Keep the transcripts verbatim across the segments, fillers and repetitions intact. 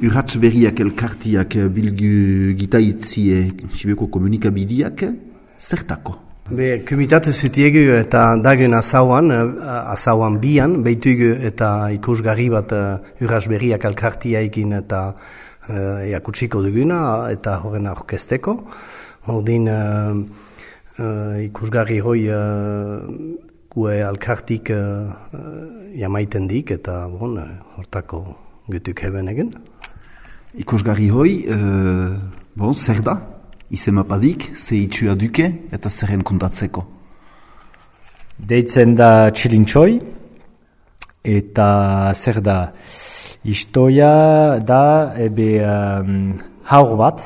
Urrats berriak elkartiak bilgu gitaitzie Sibeko komunikabideak, zertako? Be, komitatu zutiegu eta dagen azauan, azauan bian, behitugu eta ikusgarri bat urrats berriak elkartiaikin eta uh, jakutsiko duguna eta horren orkesteko. Ordin uh, uh, ikusgarri hoi uh, gue elkartik uh, jamaiten dik eta bon, hortako gutuk heben egen. Ikusgarri hoi, uh, bon, zer da? Izemapadik, ze itxua duke eta zerren kontatzeko? Deitzen da txilintxoi eta zer da? Istoia da ebe um, haur bat,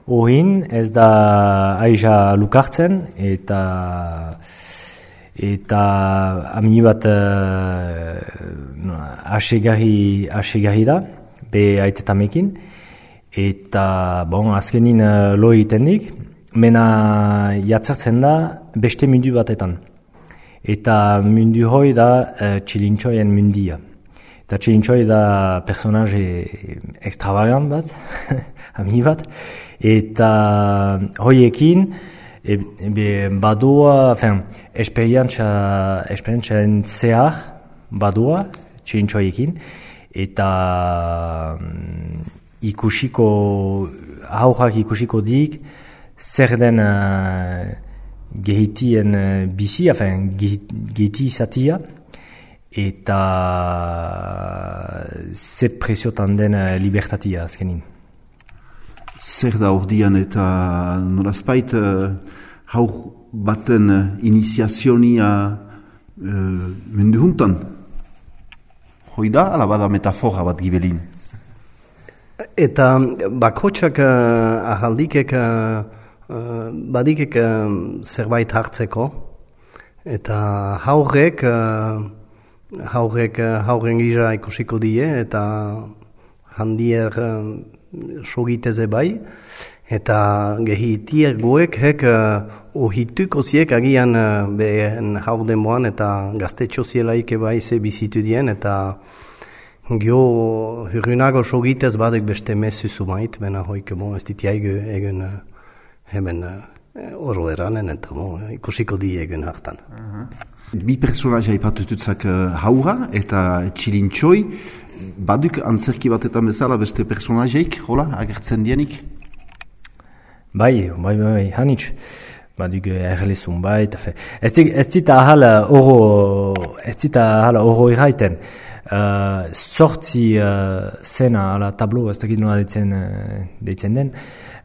ohin ez da aiza lukartzen eta eta ami bat uh, asegarri, asegarri da, be aitetamekin. Eta, bon, azkenin uh, lo egiten dik, mena jatzartzen da beste mundu batetan. Eta mundu hoi da uh, txilintxoien mundia. Eta txilintxoi da personaje extravagant bat, ami bat. Eta hoiekin, e, e, badua, enfin, esperientza, esperientzaren zehar badua txilintxoiekin. Eta ikusiko, haurrak ikusiko dik, zer den uh, gehitien uh, bizi, afen, gehiti izatia, eta ze presiotan den uh, libertatia azkenin. Zer da ordian eta norazpait uh, haur baten uh, iniziazionia uh, mundu juntan? Hoi da, ala bada metafora bat gibelin? Eta bakotxak uh, ahaldikek uh, uh, badikek uh, zerbait hartzeko eta haurrek uh, haurrek uh, haurren gisa ikusiko die eta handier uh, sogiteze bai eta gehitier goek hek uh, ohituko ziek agian uh, behen haur demoan eta gaztetxo zielaik bai ze bizitu dien eta gio hurrunago sogitez badek beste mesu zumait, bena hoik bon, ez ditiaigu egen uh, hemen uh, oro eranen eta bon, ikusiko di egen hartan. Uh-huh. Bi personaja ipatututzak uh, haura eta txilintxoi, baduk antzerki batetan bezala beste personajeik, hola, agertzen dienik? Bai, bai, bai, hanitz. Baduk erlezun bai, ez zita ahala oro, ez zita ahala oro iraiten. Uh, sortzi uh, zena ala tablo, ez dakit nola deitzen, uh, deitzen den,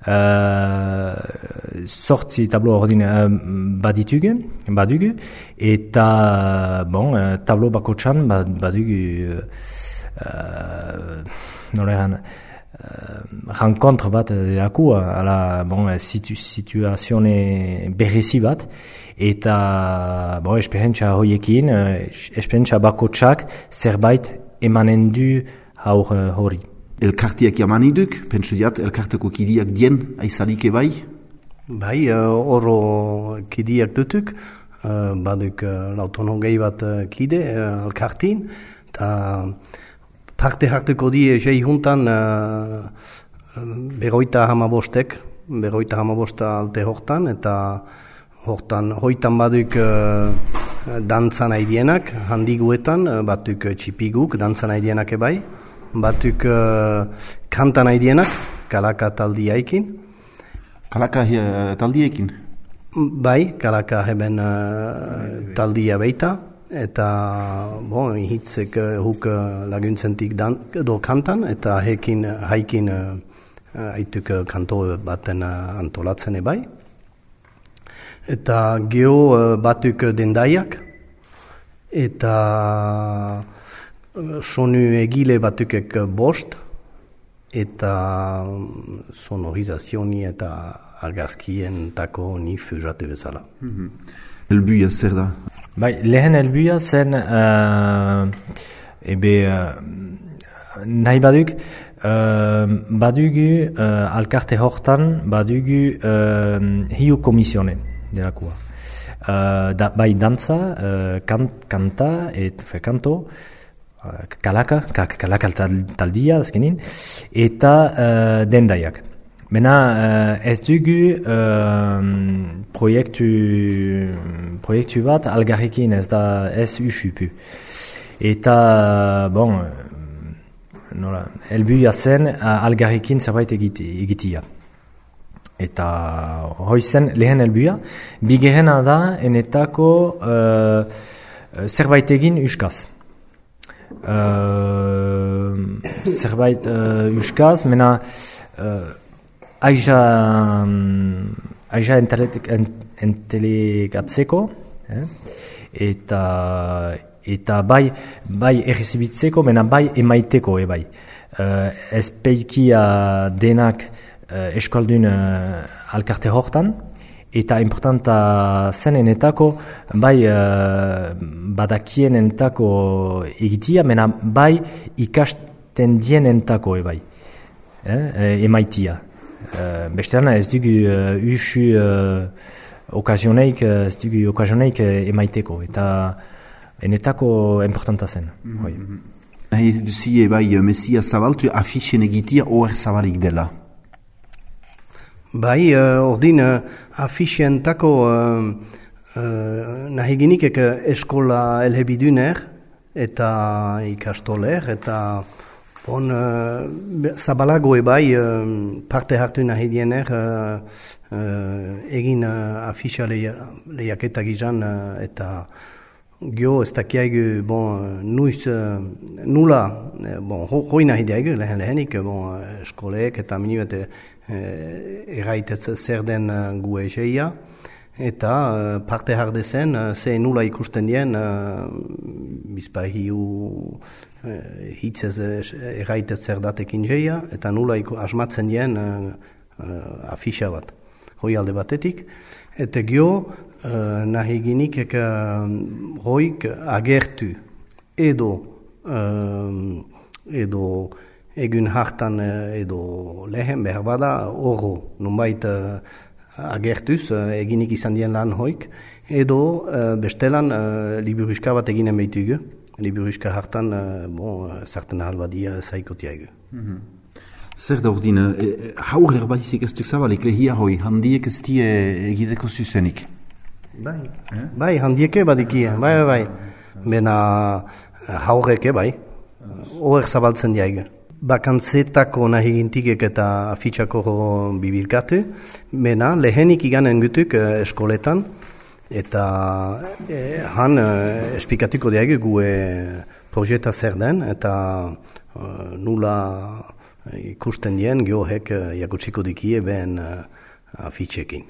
uh, sortzi tablo ordin uh, baditugu, badugu, eta bon, uh, tablo bako txan badugu uh, nola eran, uh, renkontre bat delaku, ala bon, situ, situazione berezi bat, eta bon, esperientzia horiekin, esperientzia bako txak zerbait emanen du haur hori. Elkartiak jamaniduk, pentsu diat, elkarteko kidiak dien aizalik ebai? Bai, uh, oro kidiak dutuk, uh, baduk uh, lautono gehi bat uh, kide uh, elkartin, eta parte hartuko die jei juntan uh, beroita hamabostek, beroita hamabosta alte hortan, eta hortan, hoitan baduk uh, dantzan aidienak, handiguetan, uh, batuk uh, txipiguk, dantzan aidienak ebai, batuk uh, kantan aidienak, kalaka taldiaikin. Kalaka uh, taldiekin? Bai, kalaka heben uh, taldia beita, eta bon, hitzek uh, huk uh, laguntzentik dan, do kantan, eta hekin, haikin uh, aituk uh, kanto baten uh, antolatzen ebai. Eta geho uh, batuk dendaiak, eta uh, sonu egile batukek bost, eta um, sonorizazioni eta argazkien tako ni fujatu bezala. Mm-hmm. Elbuia zer da? Bai, lehen elbuia zen, uh, ebe, uh, nahi baduk, uh, badugu uh, alkarte hortan, badugu uh, hiu komisione. Delakua. Uh, da, bai dantza, uh, kan, kanta, et fe kanto, kalaka, kak, kalaka taldia azkenin, eta uh, dendaiak. Mena uh, ez dugu uh, proiektu, proiektu bat algarrekin ez da ez usupu. Eta, bon, nola, helbuia zen algarrekin zerbait egitia. Eta hoi zen lehen helbuia, bigerena da enetako uh, zerbait egin uskaz. Uh, zerbait uh, uskaz, mena uh, aiza, um, aiza entelegatzeko, eh? eta eta bai bai errezibitzeko, mena bai emaiteko e bai. Uh, ez peikia denak uh, eskaldun uh, alkarte hortan, eta importanta zen enetako bai uh, badakien entako egitia, mena bai ikasten dien entako e bai, eh? emaitia. Uh, Bestean ez dugu uh, usu uh, okazioneik, ez dugu okazioneik uh, emaiteko, eta enetako importanta zen. Mm-hmm. Nahi duzie bai mesia zabaltu afixen egitia oer zabalik dela. Bai, uh, ordin uh, afixentako uh, uh, nahi ginikek eskola elhebiduner eta ikastoler eta on uh, zabalago ebai uh, parte hartu nahi diener uh, uh, egin uh, afixa lehiaketak izan uh, eta gio ez dakiaigu, bon, nuiz, nula, bon, ho, hoi nahi diaigu, lehen lehenik, bon, eskoleek eta minuet erraitez zer den gu egeia, eta parte hardezen, ze nula ikusten dien, bizpai hiu hitzez erraitez zer datekin geia, eta nula iku, asmatzen dien afixa bat, hoi alde batetik, eta gio, Uh, nahi ginik uh, hoik agertu edo uh, edo egun hartan uh, edo lehen behar bada oro nunbait uh, agertuz uh, eginik izan dien lan hoik edo uh, bestelan uh, liburuska bat eginen behitugu liburuska hartan uh, bon, uh, sartan ahalbadia zaikotiaigu. Mm-hmm. Zer da ordine, e, haur erbaizik ez duk zabalik lehia hoi, handiek ez die egiteko zuzenik? Bai, eh? bai, handieke badikie, bai, bai, bai. Bena haureke, bai, oer zabaltzen diaige. Bakantzetako nahi gintikek eta afitxako bibilkatu, bena lehenik iganen gutuk eh, eskoletan, eta eh, han eh, esplikatuko diaige gu eh, projeta zer den, eta eh, nula ikusten dien, geohek eh, jakutsiko dikie ben eh, afitxekin.